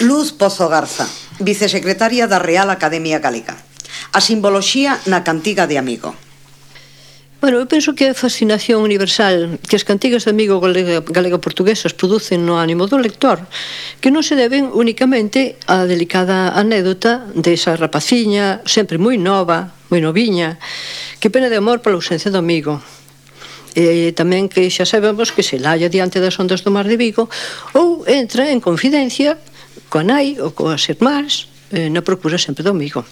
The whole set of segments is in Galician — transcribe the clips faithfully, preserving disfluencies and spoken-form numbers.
Luz Pozo Garza, vicesecretaria da Real Academia Galega. A simboloxía na cantiga de amigo. Bueno, eu penso que a fascinación universal que as cantigas de amigo galega-portuguesas producen no ánimo do lector, que non se deben únicamente á delicada anécdota desa rapaciña, sempre moi nova, moi noviña, que pena de amor pola ausencia do amigo. E tamén que xa sabemos que se lalla diante das ondas do mar de Vigo ou entra en confidencia coa nai ou coas irmás na procura sempre do amigo.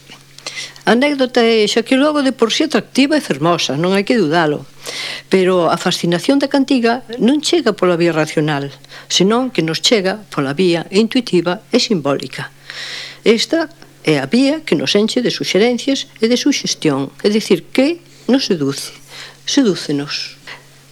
A anécdota é xa que logo de por si atractiva e fermosa, non hai que dudalo, pero a fascinación da cantiga non chega pola vía racional, senón que nos chega pola vía intuitiva e simbólica. Esta é a vía que nos enche de suxerencias e de suxestión, é dicir, que nos seduce, sedúcenos.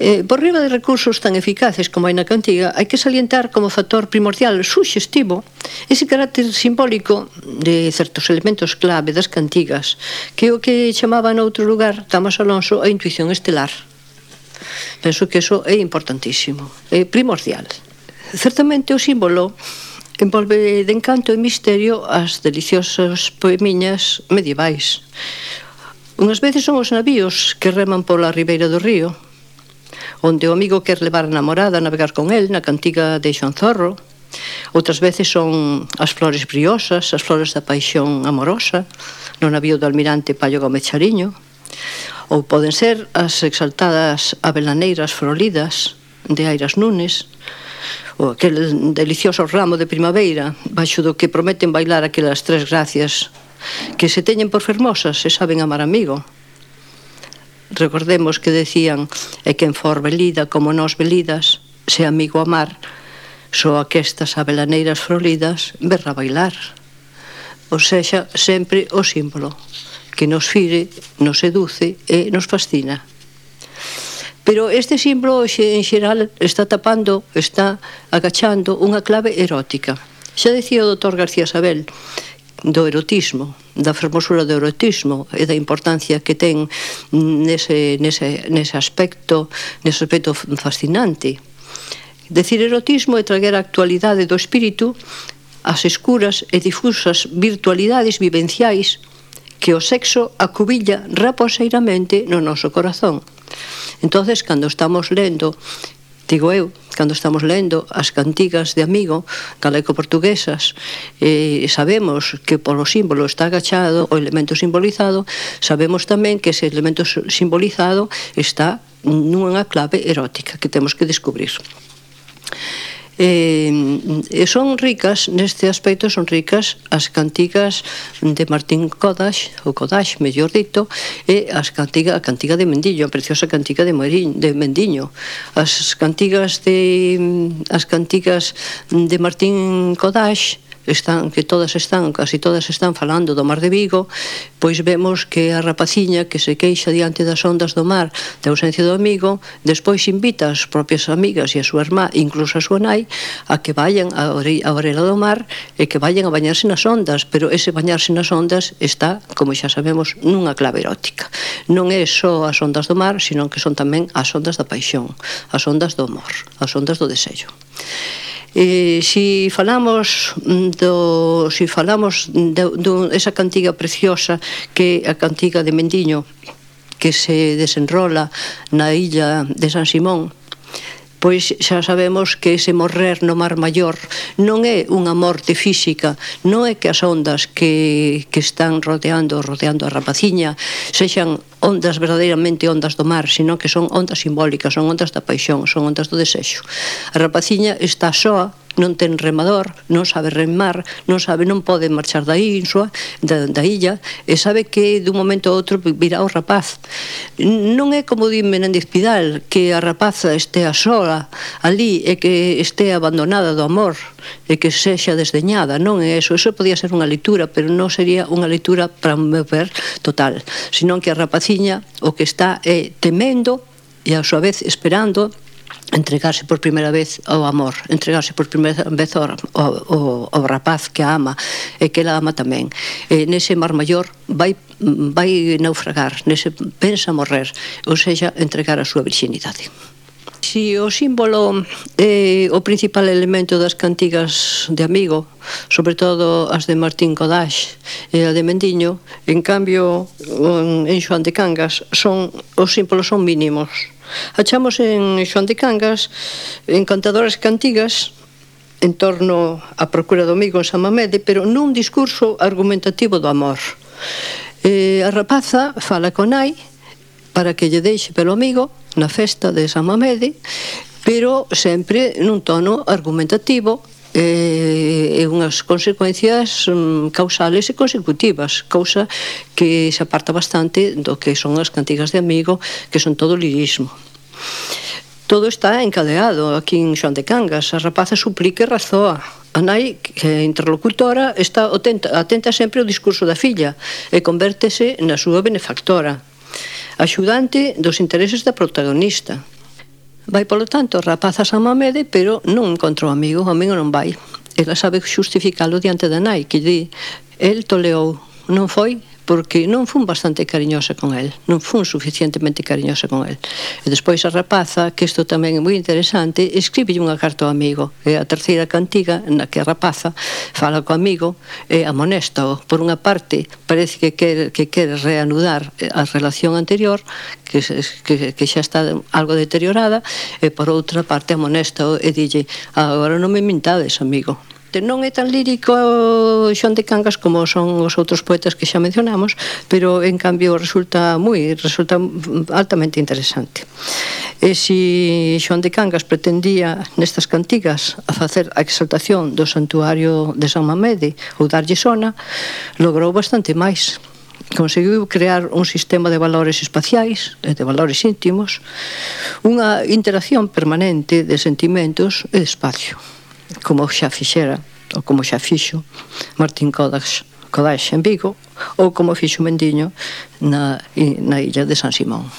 Eh, por riba de recursos tan eficaces como hai na cantiga, hai que salientar como factor primordial suxestivo ese carácter simbólico de certos elementos clave das cantigas, que é o que chamaba noutro lugar Tamás Alonso a intuición estelar. Penso que iso é importantísimo, é primordial. Certamente o símbolo envolve de encanto e misterio as deliciosas poemiñas medievais. Unhas veces son os navíos que reman pola ribeira do río, onde o amigo quer levar a namorada a navegar con el na cantiga de Xoán Zorro. Outras veces son as flores briosas, as flores da paixón amorosa, no navío do almirante Paio Gómez Chariño. Ou poden ser as exaltadas avelaneiras frolidas de Airas Nunes, ou aquel delicioso ramo de primavera, baixo do que prometen bailar aquelas tres gracias que se teñen por fermosas e saben amar amigo. Recordemos que decían: e quen for velida como nós velidas, se amigo amar, só aquestas avelaneiras frolidas verra bailar. Ou sexa, sempre o símbolo que nos fire, nos seduce e nos fascina. Pero este símbolo en xeral está tapando, está agachando unha clave erótica. Xa decía o doutor García Sabel do erotismo, da fermosura do erotismo e da importancia que ten nese, nese, nese aspecto, nese aspecto fascinante. Decir erotismo é traer a actualidade do espírito as escuras e difusas virtualidades vivenciais que o sexo acubilla raposeiramente no noso corazón. Entonces, cando estamos lendo, digo eu, cando estamos lendo as cantigas de amigo galego-portuguesas, eh, sabemos que polo símbolo está agachado o elemento simbolizado, sabemos tamén que ese elemento simbolizado está nunha clave erótica que temos que descubrir. Eh, son ricas, neste aspecto son ricas as cantigas de Martín Kodash, ou Kodash, mellor dito, e as cantiga, a cantiga de Mendiño, a preciosa cantiga de, Moiriñ, de Mendiño. As cantigas de as cantigas de Martín Kodash están, que todas están, casi todas están falando do mar de Vigo, pois vemos que a rapaciña que se queixa diante das ondas do mar da ausencia do amigo, despois invita as propias amigas e a súa irmá, incluso a súa nai, a que vayan a orela do mar e que vayan a bañarse nas ondas, pero ese bañarse nas ondas está, como xa sabemos, nunha clave erótica. Non é só as ondas do mar, sino que son tamén as ondas da paixón, as ondas do amor, as ondas do deseño. Eh, si falamos do si falamos de, de esa cantiga preciosa que é a cantiga de Mendiño, que se desenrola na illa de San Simón, pois xa sabemos que ese morrer no mar maior non é unha morte física, non é que as ondas que, que están rodeando rodeando a rapaciña sexan ondas verdadeiramente ondas do mar, sino que son ondas simbólicas, son ondas da paixón, son ondas do desexo. A rapaciña está soa, non ten remador, non sabe remar, non sabe, non pode marchar da ínsua, da, da illa, e sabe que dun momento a outro virá o rapaz. Non é como di Menéndez Pidal, que a rapaza estea sola ali e que estea abandonada do amor e que sexa desdeñada, non é eso. Eso podía ser unha lectura, pero non sería unha lectura, para meu ver, total, senón que a rapaciña o que está é temendo e a súa vez esperando entregarse por primeira vez ao amor, entregarse por primeira vez ao, ao, ao rapaz que a ama e que ela ama tamén. E nese mar maior vai, vai naufragar, nese pensa morrer, ou seja, entregar a súa virxinidade. si o símbolo é o principal elemento das cantigas de Amigo, sobre todo as de Martín Codax e a de Mendiño, en cambio en Xoán de Cangas son, os símbolos son mínimos. Achamos en Xoán de Cangas encantadoras cantigas en torno á procura do amigo en San Mamede, pero nun discurso argumentativo do amor. E a rapaza fala con nai para que lle deixe pelo amigo na festa de San Mamede, pero sempre nun tono argumentativo e, e unhas consecuencias um, causales e consecutivas, cousa que se aparta bastante do que son as cantigas de Amigo, que son todo lirismo. Todo está encadeado aquí en Xoán de Cangas. A rapaza suplica e razoa. A nai, que é interlocutora, está atenta, atenta sempre ao discurso da filla e convértese na súa benefactora, axudante dos intereses da protagonista. Vai, polo tanto, a rapaza a San Mamede, pero non encontrou amigo, o amigo non vai. Ela sabe justificalo diante da nai, que di, el toleou, non foi porque non fun bastante cariñosa con el, non fun suficientemente cariñosa con el. E despois a rapaza, que isto tamén é moi interesante, escribe unha carta ao amigo. É a terceira cantiga na que a rapaza fala co amigo e amonesta-o. Por unha parte, parece que quere, que quere reanudar a relación anterior, que, que, que xa está algo deteriorada, e por outra parte amonesta-o e dille, agora non me mintades, amigo. Non é tan lírico Xoán de Cangas como son os outros poetas que xa mencionamos, pero en cambio resulta moi resulta altamente interesante. E se Xoán de Cangas pretendía nestas cantigas a facer a exaltación do santuario de San Mamede ou darlle sona, logrou bastante máis. Conseguiu crear un sistema de valores espaciais e de valores íntimos, unha interacción permanente de sentimentos e de espacio, como xa fixera, ou como xa fixo Martín Codax, Codax en Vigo, ou como fixo Mendiño na, na illa de San Simón.